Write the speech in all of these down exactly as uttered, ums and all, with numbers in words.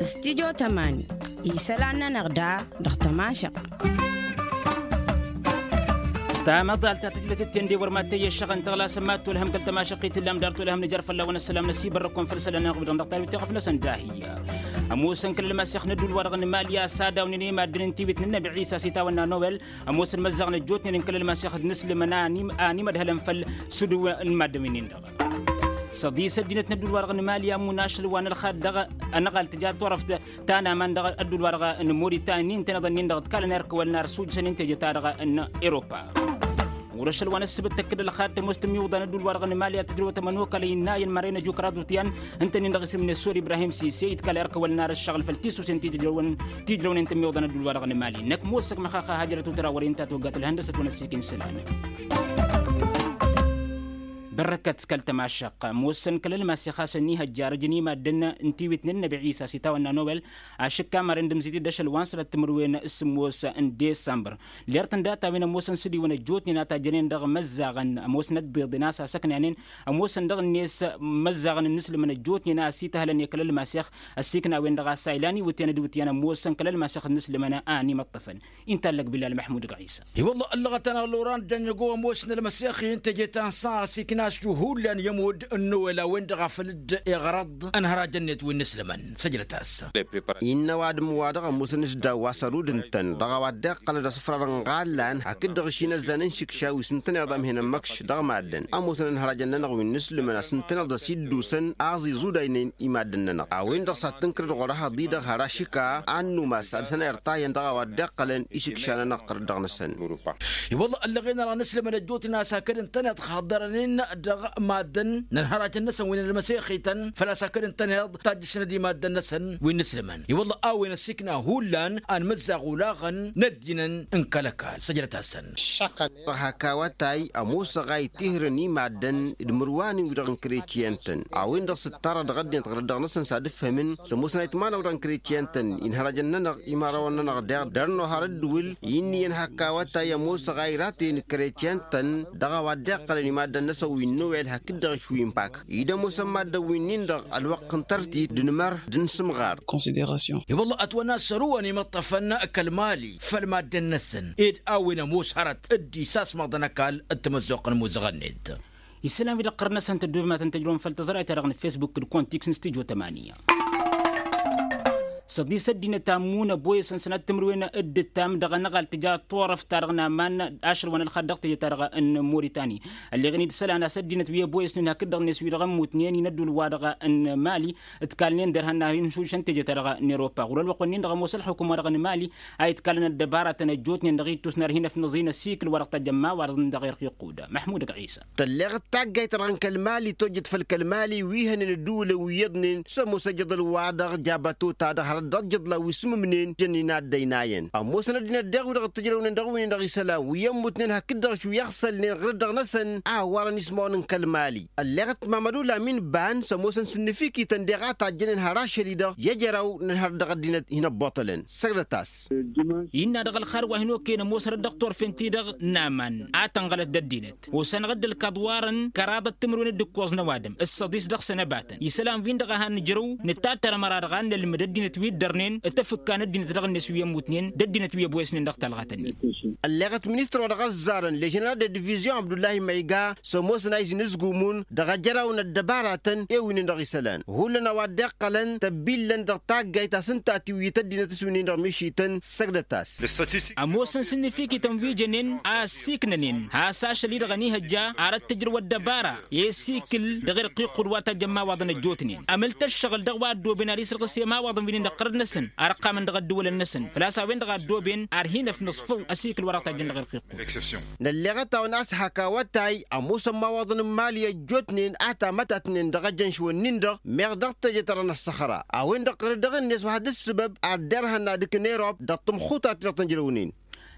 Stidyo tămani isălan-nănăɣ da dăɣ-tămašăɣt. Tamăḍalt ta tǝjlăt-ten de wăr mad-tăyyăššăɣăn tăɣlasăn mad-tolhăm kăl-tămašăɣt i-tǝllam dar tolhăm nǝjar fălla-wăn ăssălam n-asibărrăkon făll-isălan-nănăɣ wi-dăɣ dăɣ-tadwit teɣăf-năsăn dahiy. Ămoosăn kăl-ălmasex n-ădduul-wa-dăɣ n-imali a-s ad-awnen i-maddǝn n-tiwit n-ănnăbi ɣisa s-itawănna nowel. Ămoosăn măzzaɣ n-ăjjootnen n-kăl-ălmasex d-inǝslǝmăn a ănimădhălăn făll-sudǝw n-imaddǝn-win-dăɣ. Săḍis ăddinăt n-ădduul-wa-dăɣ n-imali a ămmun ašăl wa n-ălxad dăɣ-anăɣalt tǝja turăft ta n-aman dăɣ-ădduul-wa-dăɣ n-moritan n-intăneḍ-nin-dăɣ ǝtkalăn erk ăwăl n-ar sujjăsăn n-teje-ta-dăɣ n-europa. Wăr-ašăl wa n-ăssǝbǝt tăkk-dd ălxad tămoos tǝmmiwǝḍa n-ădduul-wa-dăɣ n-imali a tǝjrăw tămănokal innayăn mărăynăj ukra d-utyan ǝnta-nin-dăɣ isǝm-net sor ibrahim sise itkal erk ăwăl n-ar ǝššăɣǝl făll-tisusen ti tǝjrăwăn ti ǝjrăwnen tǝmmiwǝḍa n-ădduul-wa-dăɣ n-imali năkk mossăk măxaxa hajrăt utra wăr-inta toggat ǝlhăndăsăt wa n-ăssiik n-isălan. Bărrăkăt kăl-tămašăq mossăn kăl-ălmas i-xasăn ihăjjarăj n-imaddǝn n-tiwit n-ănnăbi ɣisa s-itawănna nowel. Ašǝkka mărăn d-ǝmzitid ašăl wa n-săr ăttǝmǝrwen s-sǝmmos n-disămbăr lirtăn data wen ămoosăn s-dd-iwăn ăjjootnen a tajjănen dăɣ-măzzaɣăn ămoosnăt d-iḍen a-s asăknanen ămoosăn dăɣ-net măzzaɣăn n-inǝslǝmăn ăjjootnen a ăsităhălăn i-kăl-ălmas i-xasăn ăsiknawen dăɣ-a-s a ilan iwǝtyan d-iwǝtyan ămoosăn kăl-ălmas i-xasăn n-inǝslǝmăn a ănimăṭṭăfăn. Intallăk bilal măḥmud gɣisa. I-wălla ăllăɣăt-anăɣ loran d-ănnăgo ămoosnăl măsexi n-teje ta n-săɣ a ăsiknaš hullan i-ămudd n-nowel a-wen-dăɣ a făl dd-iɣrăḍ ănhărajăn-net wi n-inǝslǝmăn. Săjdăt-as. Innă ăwadǝm-wa-dăɣ ămoosăn s-daw wa s-ărud ǝntăn dăɣ-a-wa dd-iqqălăn d-asǝfra dăɣ-inɣallan hakd-dăɣ ǝšinăzzan n-išǝkša wi s-ǝntăneḍ amhen ămmăkš dăɣ-maddǝn ămoosăn ănhărajăn-nănăɣ wi n-inǝslǝmăn a-s ǝntăneḍ a-s iddusăn aẓ iẓudaynen i-maddǝn-nănăɣ a-wen-dăɣ s-ad-tǝnkǝr d-ɣur-ehăḍ-i-dăɣ har ašǝka a ănnumas ad-săn irṭayăn dăɣ-a-wa dd-iqqălăn išǝkša-nănăɣ ɣur-dăɣ-năsăn. I-wălla ăllăɣen-anăɣ n-aslămăn ăjjootnen a-s hakd ǝntăneḍ xaḍărănen dăɣ-maddǝn n-ănhărajăn-năsăn wi n-ălmăsexităn făl-a-s hakd ǝntăneḍ tajjăšăn d-imaddăn-năsăn wi n-aslămăn i-wălla a-wen ăsikna hullan a ănmăzzaɣ olaɣăn n-ăddinăn n-kăl-ăkall săjdăt-asăn. Hak awătay ămoosăɣ a itihǝrăn i-maddǝn d-imǝrwanen wi-dăɣ n-kretyen-tăn a-wen-dăɣ s-ǝttarăɣ dăɣ-ăddinăt ɣǝrǝd-dăɣ-năsăn s-ad-ǝfhǝmăn s-ămoosăn a itmanăw dăɣ-n kretyen-tăn inhărăjăn-nănăɣ imărawăn-nănăɣ deɣ dăr-nohăr ǝddǝwǝl i ǝnniyăn hak awătay ămoosăɣ a iratăyăn kretyen-tăn dăɣ-a-wa dd-iqqălăn i-maddǝn-năsăn wi n-nowel hakd-dăɣ išwi n-pak id-ămoosăn maddǝn wi n-indăɣ ălwăqq n-tărtit d-inmăr d-insǝmɣar. I-wălla ătwănna s-ărǝwăn imǝṭṭăfăn kăl-mali făll-maddǝn-năsăn ed a-wen ămoos hărăt dd-isasmăḍăn ăkall d-tamăzzuɣt n-imuzăɣăn-net. Isălan wi dăɣ-qărăn-năsăn tăddoobem ad-tăn-tăjrăwăm făll-tăẓrayt-ta-dăɣ n-fesbuk d-kontiks n-stujo tămaniya. Săḍis ăddinăt ammun ăboyăsăn sănat timǝrwen d-ǝttam dăɣ-anăɣal tǝja turăft-ta-dăɣ n-aman ašăl wa n-ălxad dăɣ-teje-ta-dăɣ n-moritani. Ălleɣăn-dd isălan a-s ăddinăt wi ăboyăsnen hakd-dăɣ-net wi-dăɣ ămmutnen i-inăddul wa dăɣ-n mali ǝtkalnen derhan n-ad-hin-šušăn teje-ta-dăɣ n-europa ɣur-ălwăqq-wen-in-dăɣ ămoos ălxukum wa dăɣ-n mali a itkalăn ăddăbaratăn ăjjootnen dăɣ-ittus n-ar hin-ăfnăẓ-in ăsikǝl wa dăɣ-tajjăn imawaḍăn dăɣ-irq iqqud. Măḥmud ăgg-ɣisa. Tălleɣ d-taggayt-ta-dăɣ n-kăl-mali tojjăt făll-kăl-mali wi hănen ădduulăn wi iyyăḍnen s-ămoos ajăḍăl-wa-dăɣ jabătota-dăɣ hărăt dăɣ-ajăḍla wi s-mǝmnen jănnen ad-ăynayăn ămoosăn ăddinăt deɣ wi-dăɣ t-ǝjrăwnen dăɣ-win-dăɣ isălan wi ămmutnen hakd-dăɣ wi ăɣsălnen ɣǝrǝd-dăɣ-năsăn a ăwarăn ismawăn n-kăl-mali. Ălleɣăt mamădu lamin ban s-ămoosăn s-ǝnnǝfikităn deɣ a tajjănen har ašăl-i-dăɣ i-ejăraw n-ălhăr dăɣ-ăddinăt hin-ăbboṭălăn. Săgdăt-as. Innă dăɣ-ălxar wa hin-okăyăn ămoosărăt dăɣ-turfen-ti-dăɣ n-aman a tănɣălăt d-ăddinăt osanăɣ-dd ǝlkaḍ warăn kăraḍăt timǝrwen d-ǝkkoẓ n-ăwadǝm ǝssăḍis dăɣ-săn ăbatăn isălan-win-dăɣ a han-nǝjrăw nǝttatăr ămăra-dăɣ a n-nălmǝd ăddinăt wi ǝddărnen d-tafǝkka n-ăddinăt dăɣ-net wi ămmutnen d-ăddinăt wi ăboyăsnen dăɣ-talɣat-nin. Ălleɣăt ministăr wa dăɣ-ăzzarăn leženeral de divizion abdullahi mayga s-ămoosăn a izǝn ǝzgumun dăɣ-ajăraw n-ăddăbaratăn i-wi n-dăɣ-isălan hullan a-wa dd-iqqălăn tăbbillăn dăɣ-taggayt a-s ǝnta a tiwǝyǝt ăddinăt s-wi n-dăɣ mišităn. Săgdăt-as. Ămoosăn s-ǝnnǝfikităn wi jănen a ăssiiknănen has-ašăl-i-dăɣ ănihăjja ar ăttăjrăw ăddăbara i-asikǝl dăɣ-irq iqqud wa tajjăn imawaḍăn ăjjootnen ămǝl-t ăššăɣǝl dăɣ-wa ăddooben ar isǝrɣǝs i-imawaḍăn wi n-indăɣ ɣărăd-năsăn ar ăqqamăn dăɣ-ăddǝwǝlăn-năsăn făl-a-s a-wen-dăɣ a ăddooben ar hin-ăfnǝẓfăw asikǝl wa dăɣ-tajjăn dăɣ-irq iqqud. Nălleɣăt-awăn a-s hak awătay ămoosăn imawaḍăn n-imali ăjjootnen a tamătatnen dăɣ-ejănš-wǝnnin-dăɣ meɣ dăɣ-teje-ta-dăɣ n-ăṣṣăxra a-wen-dăɣ ɣǝrǝd dăɣ-net wa had-ǝssǝbăb ad-derhăn ad-ǝkn erop dăɣ-tǝmxutat-ti-dăɣ tăn-ǝjrăwnen.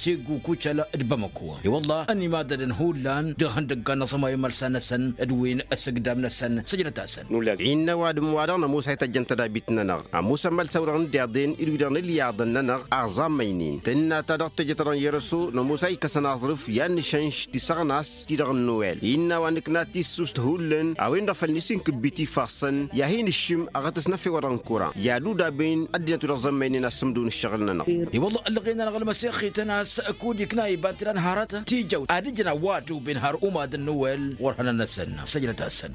segu kucăl d-bamăko. I-wălla ănimadădăn hullan dăɣ-ihăndăggan n-aẓămay imălsan-năsăn d-win ăsǝgdam-năsăn săjdăt-asăn. Innă ăwadǝm-wa-dăɣ n-ămoos a ităjjăn tădabit-nănăɣ ămoosăn imălsan-wa-dăɣ n-deḍen d-wi-dăɣ n-ilyaḍăn-nănăɣ aẓammăynen tǝnna ta dăɣ-tejăt dăɣ-n yerăso n-ămoos a ikkăsăn aẓrǝf i-ad-nǝšănš tisăɣnas-ti-dăɣ n-nuwel. Innă a-wa nǝkna tissust hullan a-wen-dăɣ făl n-isin kǝbbit ifassăn i-ad-hin-ǝššǝm aɣătăs n-efew-wa-dăɣ n-kura i-ad-udaben ăddinăt wi-dăɣ zămmăynen asǝmdǝw n-ǝššăɣǝl-nănăɣ. I-wălla ăllăɣen-anăɣ ălmăsexităn a-s kud-ikna iba n-tǝla n-hărăt tijăwt ad-ǝjǝn a-wa ăddoben har umad n-nuwel ɣur-hănăn-năsăn săjdăt-asăn.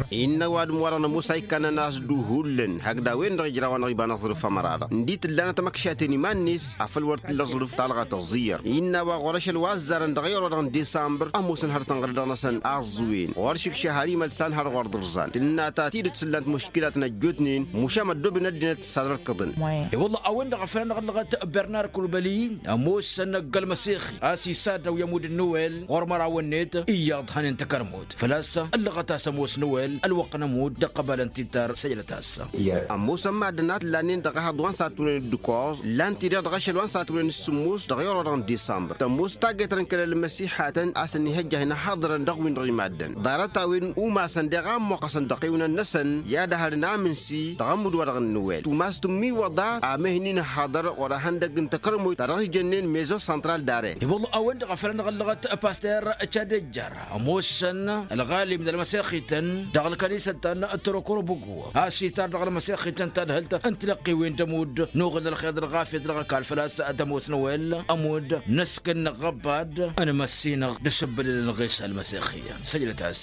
Innă ăwadǝm-wa-dăɣ n-ămoos a ikkăn-ănn a-s d-uhullan hakd a-wen-dăɣ ijraw-anăɣ iba n-aẓrǝf ămăra-dăɣ n-dd-tǝlla n-ad-tamăkšaten iman-net afăl wăr t-illa aẓrǝf talɣa tăẓẓiyăr. Innă a-wa ɣur-ašăl wa ăzzarăn dăɣ-ewăr-wa-dăɣ n-disambăr ămoosăn hărătăn ɣăr-dăɣ-năsăn aẓẓǝwen ɣur-ašǝkša har imălsan har ɣur-dd-ǝrẓan tǝnna ta tidǝt s-ǝllan-t muškilat n-ăjjootnen mušam ăddooben ăddinăt s-ad-ărkǝḍăn. I-wălla a-wen-dăɣ a făl anăɣ-ăllăɣăt bernar kulbăli ămoosăn ăgg-ălmăsexi a-s isaddăw i-ămudd n-nuwel ɣur-mărawăn-net iyyăḍ hănen takărmut făl-a-s ăllăɣăt a-s ămoos nuwel ălwăqq n-ămudd d-ăqqăbal n-tittar săjdăt-as. Ămoosăn maddǝn a t-lannen dăɣ-ehăḍ wa n-satwăren d-ǝkkoẓ lan-t-i-dăɣ dăɣ-ašăl wa n-satwăren d-sǝmmos dăɣ-ewăr-wa-dăɣ n-disambăr tămoos taggayt-ta-dăɣ n-kăl-ălmăsiha. a-s ănnihăjja a hin-ăhhaḍărăn dăɣ-win-dăɣ imaddăn ḍarăt-a-wen umasăn deɣ a ămmoqqăsăn dăɣ-iwǝnăn-năsăn i-ad-ăhărăn amǝnsi dăɣ-ămmud-wa-dăɣ n-nǝwel tumas tǝmmiwăḍa. Amehăn-in ăhhaḍăr ɣur-ehăndăgg n-takărmoyt ta dăɣ-s jănnen mezo săntral dare. I-wălla a-wen-dăɣ a făl ad-năɣ ăllăɣăt paster cad ejjar ămoosăn ălɣalim n-ălmăsexităn dăɣ-ălkănisăt ta n-torokorobăgo a-s itar dăɣ-ălmăsexităn tadhǝlt n-tilăqqiwen d-ămudd n-uɣǝl ălxeḍ ălɣafyăt dăɣ-ăkall făl-a-s d-ămoos n-ăwel ămudd n-ăskănna ɣăbad n-măssinăɣ d-asǝbbălăl n-ɣes ălmăsexiyăn săjdăt-as.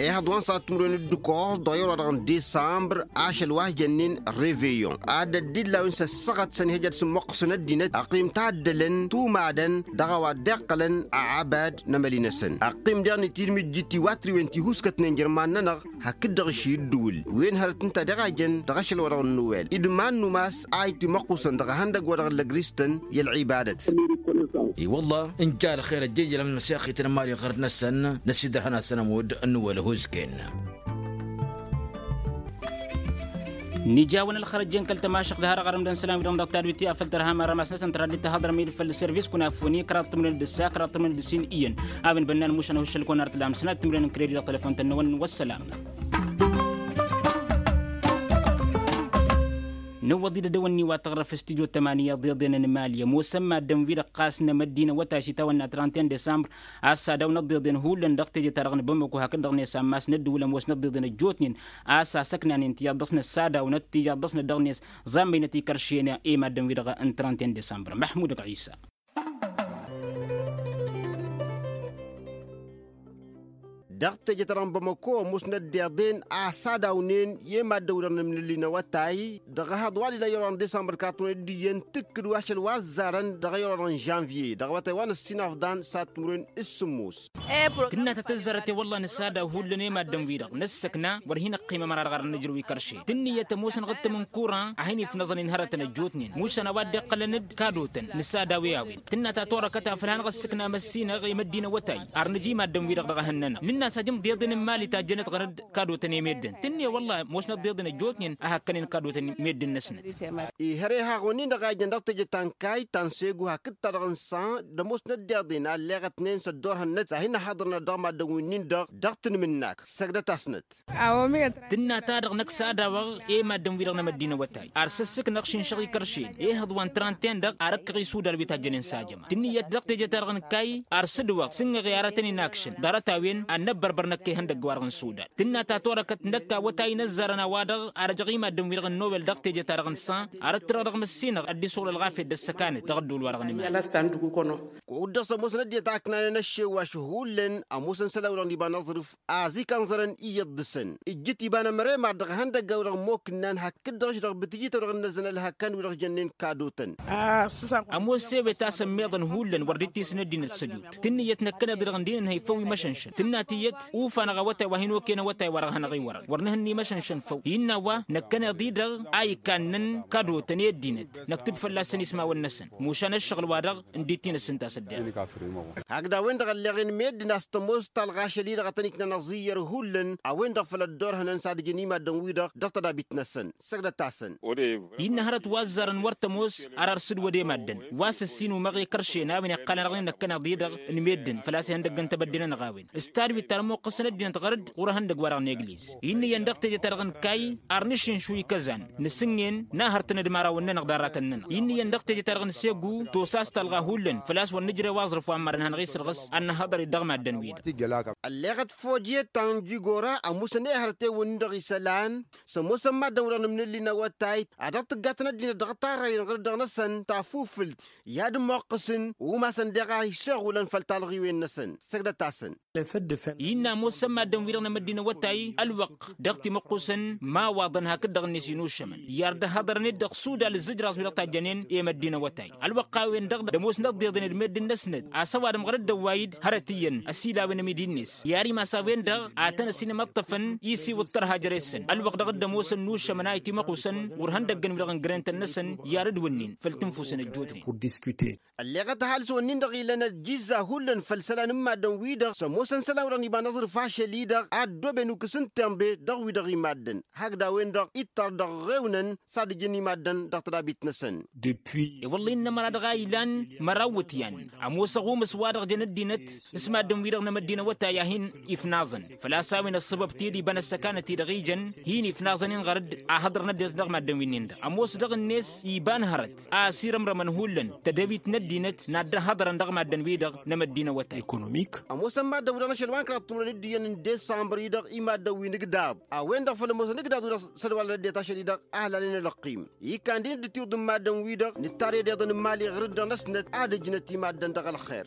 Ehăḍ wa n-săɣăt timǝrwen d-ǝkkoẓ dăɣ-iwăr wa dăɣ-n disambr ašăl wa s-jănnen reveyon ad-dd-illa a-wen s-ăssaɣăt s-ănihăjăt s-ǝmmăqqǝsăn ăddinăt ăqqim taddălăn tumadăn dăɣ-a-wa dd-iqqălăn aɣăbad n-emăli-năsăn ăqqim deɣ nǝtǝjmǝjjǝt i-wa t-riwen tihuskătnen jer-iman-nănăɣ hakd-dăɣ išidǝwǝl wen hărăt ǝnta deɣ a jăn dăɣ-ašăl-wa-dăɣ n-nowel d-iman n-umas a itǝmăqqusăn dăɣ-ehăndăgg-wa-dăɣ n-lăgristăn i-ălɣibadăt. I-wălla n-ja ălxer ăjjejălăm n-măsexităn n-mali ɣărd-năsăn n-asidărhăn-asăn ămudd n-nowel huzken. Nǝja a-wen ălxărăjjen kăl-tămašăɣt d-harăɣ arǝmdăn isălan-wi-dăɣ dăɣ-tadwit i-afăl tărha marămas-năsăn tăra dd-tăhhăḍrăm i-dd făll-servis kunafoni kăraḍ timǝrwen d-ǝssa kăraḍ timǝrwen d-ǝssin iyyăn. A-wen bănnan mušan ăhuššăl-kăwăn ar tǝlam sănat timǝrwen n-kredit dăɣ-telefon-tăn-năwăn wăssălam. Nǝwwăḍ-dd ad-dăwănni wa tăɣrăf s-tidyo tămaniya ḍeḍen n-mali ămoosăn maddǝn-wi-dăɣ ɣas n-emăddin awătay s-itawănna trente un desambr. A-s sadawnăt ḍeḍen hullan dăɣ-teje-ta-dăɣ n-bamako hakd-dăɣ-net ammas n-ăddǝwǝl ămoosnăt ḍeḍen ăjjootnen. A-s asăknanen tiyyăḍ dăɣ-snăt sadawănăt tiyyăḍ dăɣ-snăt dăɣ-net ẓammăynăt ikeršene i-maddǝn-wi-dăɣ n-trente un desambr măḥmud ăgg ɣisa. Dăɣ-teje-ta-dăɣ n-bamako ămoosnăt deḍen a sadawnen i-maddǝn-wi-dăɣ n-amnǝlli n-awătay dăɣ-ehăḍ wa d-ila i-orăɣ n-disambăr katwăn-dd iyyăn tǝkkǝd wa ašăl wa ăzzarăn dăɣ-i orăɣ n-žănvye dăɣ-awătay wa n-ăssinafḍan s-ad-timǝrwen s-sǝmmos. Tǝnna ta tăzzarăt i-wălla nǝsadaw hullan i-maddǝn-wi-dăɣ năssăkna wăr hin-ăqqimăm ara dăɣ-arăn nǝjrǝw ikerše tǝnnǝyăt ămoosăn ɣǝttăm n-kuran a hin-ifnăẓăn inhărătăn ăjjootnen mušan a-wa dd-iqqălăn-dd kadotăn nǝsadaw i-a-wen. Tǝnna ta torăkăt afăl hanăɣ-ăssǝkna măssinăɣ i-măddin awătay ar nǝja i-maddǝn-wi-dăɣ dăɣ-ehăn-nănăɣ nǝnn'-as ajǝm d-iḍen n-imali tajjănăt ɣărăt kadotăn i-meddǝn tǝnnǝy wălla ămoosnăt d-iḍen ăjjootnen a hakkănen kadotăn i-meddǝn-năsnăt. Ihăr ihaɣ-wen-in-dăɣ a ijăn dăɣ-teje ta n-kayy ta n-segu hakd-ta-dăɣ n-san d-ămoosnăt d-iḍen a ălleɣătnen s-ăddoorhăn-năt a hin-ăhhaḍărnăt dăɣ-maddǝn-wi-nin-dăɣ dăɣ-tanǝm-năk săgdăt-asnăt. Tǝnna-ta-dăɣ năkk s-ad-awăɣ i-maddǝn-wi-dăɣ n-emăddin awătay ar săssǝknăɣ šinšăɣ ikeršen ihăḍ wa n-tranten-dăɣ ar ăkkăɣ isudal wi tajjănen s-ajăma tǝnnǝyăt dăɣ-teje-ta-dăɣ n-kayy ar sǝdwăɣ s-ǝnnăɣ i-aratăn-in akšăn ḍarăt-a-wen ad-năbbărbăr năkk ihăndăgg-wa-dăɣ n-sudal. Tǝnna ta torăkăt năkk awătay n-ăzzarăn a-wa-dăɣ ar ăjăɣ i-maddǝn-wi-dăɣ n-nowel dăɣ-teje-ta-dăɣ n-san ar ăttărăɣ dăɣ-măssinăɣ ăddis uɣǝl ălɣafyăt d-ăssăkanăt dăɣ-ădduul-wa-dăɣ n-iman. Kud-dăɣ s-ămoosăn ăddinăt a ǝknanen ăššewwaš hullan ămoosăn isălan-wi-dăɣ n-iba n-aẓrǝf aẓik a ǝnẓărăn iyyăḍ dăɣ-săn ǝjjǝt iba n-ămăre mad-dăɣ ihăndăgga-wi-dăɣ ămmookǝnnan hakd-dăɣ-š dăɣ-bǝtǝjităw-dăɣ ǝnnăzăn ălhăkkan-wi-dăɣ jănnen kadotăn. Ămoos s-ewet a-s ămmiḍăn hullan wăr dd-tisǝn ăddinăt s-ăjut tǝnnǝyăt năkkăneḍ-i-dăɣ ǝndin ănhăy făw imăšănšăn tǝnna tiyyăt ufan-aɣ awătay wa hin-okăyăn awătay wa dăɣ-hanăɣ-iwărăn wăr nǝhǝnna imăšănšăn făw innă a-wa năkkăneḍ-i-dăɣ a ikannăn kadotăn i-ăddinăt năktǝb fălla-săn ismawăn-năsăn mušan ăššăɣǝl-wa-dăɣ ǝndit-i n-ăssǝnta s-ăddiɣ. Hakd a-wen-dăɣ ălleɣen meddǝn a-s tămoos talɣa ašăl-i-dăɣ a tăn-iknan ăẓiyyăr hullan a-wen-dăɣ făll-ăddoorhănăn s-ad-ǝjǝn i-maddǝn-wi-dăɣ dăɣ-tădabit-năsăn. Săgdăt-asăn. Innă hărăt wa ăzzarăn wăr tămoos ar arsǝdwăd i-maddǝn wa s-ăssiinumăɣ i-kărše n-a-wen iqqălăn-dăɣ n-inăkkăneḍ-i-dăɣ n-meddǝn făl-a-s ihăndăgg n-tebădde-nănăɣ a-wen s-tadwit ta ălmuqqǝsăn ăddinăt ɣărăt ɣur-ehăndăgg-wa-dăɣ n-egliz. Innă iyyăn dăɣ-teje-ta-dăɣ n-kayy ar nǝšǝnšu ikăzan nǝsǝngen n-ahăr-tăn d-imărawăn-nănăɣ d-arratăn-nănăɣ. Innă iyyăn dăɣ-teje-ta-dăɣ n-segu tosa a-s talɣa hullan făl-a-s wăr nǝjrew aẓrǝf wa n-imarăn hanăɣ-isǝlɣǝs ad-nǝhhăḍăr-dd dăɣ-maddǝn-wi-dăɣ. Ălleɣăt fojiyăt ta n-jigora ămoosăn i-hărăt ewăn-in-dăɣ isălan s-ămoosăn maddǝn-wi-dăɣ n-amnǝlli n-awătay ad-dăɣ-tǝggatăn ăddinăt dăɣ-tarrăyăn ɣǝr-dăɣ-năsăn tafufǝlt i-ad-ămmuqqǝsăn umasăn deɣ a isoɣulăn făll-talɣiwen-năsăn. Săgdăt-asăn. Innă ămoosăn maddǝn-wi-dăɣ n-emăddin awătay ălwăqq dăɣ-timǝqqusăn mawaḍăn hakd-dăɣ-net inušămăn i-ar dd-ăhhăḍărăn-dd dăɣ-sudal ǝzzǝjraẓ wi-dăɣ tajjănen i-măddin awătay ălwăqq a-wen-dăɣ d-ămoosnăt deḍen d-meddǝn-năsnăt a-s ăwadǝm ɣărăt d-ăwway-dd hărăt iyyăn ăsilawen ămidi-net i-ar imas a-wen-dăɣ ad-tăn-ăsinămăṭṭăfăn isiwǝḍ tărha jere-săn ălwăqq dăɣ-dd-ămoosăn nušămăn a itimăqusăn ɣur-ihăndăgg n-wi-dăɣ n-grentăn-năsăn i-ad-dd-wǝnnin făll-tǝnfusăn ăjjootnen. Ălleɣăt ăhalǝs-wǝnnin-dăɣ ilăn ăjjǝzza hullan făll-isălan n-maddǝn-wi-dăɣ s-ămoosăn isălan-wi-dăɣ. Iba n-aẓrǝf ašăl-i-dăɣ a ăddooben ukǝs n-tembe dăɣ-wi-dăɣ imaddăn hakd a-wen-dăɣ ittar dăɣ-ɣewnăn s-ad-ǝjǝn imaddăn dăɣ-tădabit-năsăn. De-wi wălla innă ămăra dăɣ-a ilan măraw iwǝtyan ămoos ăɣumǝs wa-dăɣ jăn ăddinăt s-maddǝn-wi-dăɣ n-emăddin awătay a hin-ifnaẓăn făl-a-s a-wen ăssăbăb tedibăn ăssăkanăt-i-dăɣ ijăn hin-ifnaẓăn-in ɣărăt ahăḍrăn ăddinăt dăɣ-maddǝn-wi-nin-dăɣ ămoos dăɣ-net iba n-hărăt a ăsirămrămăn hullan tădewit n-ăddinăt n-ad-dd-ăhhăḍrăn dăɣ-maddǝn-wi-dăɣ n-emăddin awătay. Ămoosăn maddǝn-wi-dăɣ n-ašăl wa n-kăraḍ timǝrwen d-iyyăn n-desămbăr-i-dăɣ i-maddǝn-wi n-igdăḍ a-wen-dăɣ făll-ămoosăn igdăḍ-wi-dăɣ s-ădwalăn ăddinăt ašăl-i-dăɣ a ăllalăn ălăqqim. Ikkan d-inǝddǝt iwǝḍ n-maddǝn-wi-dăɣ nǝttar i-ăddiḍăn n-imali ɣǝr-dd-dăɣ n-ăsnăt ad-ǝjnăt i-maddǝn dăɣ-ălxer.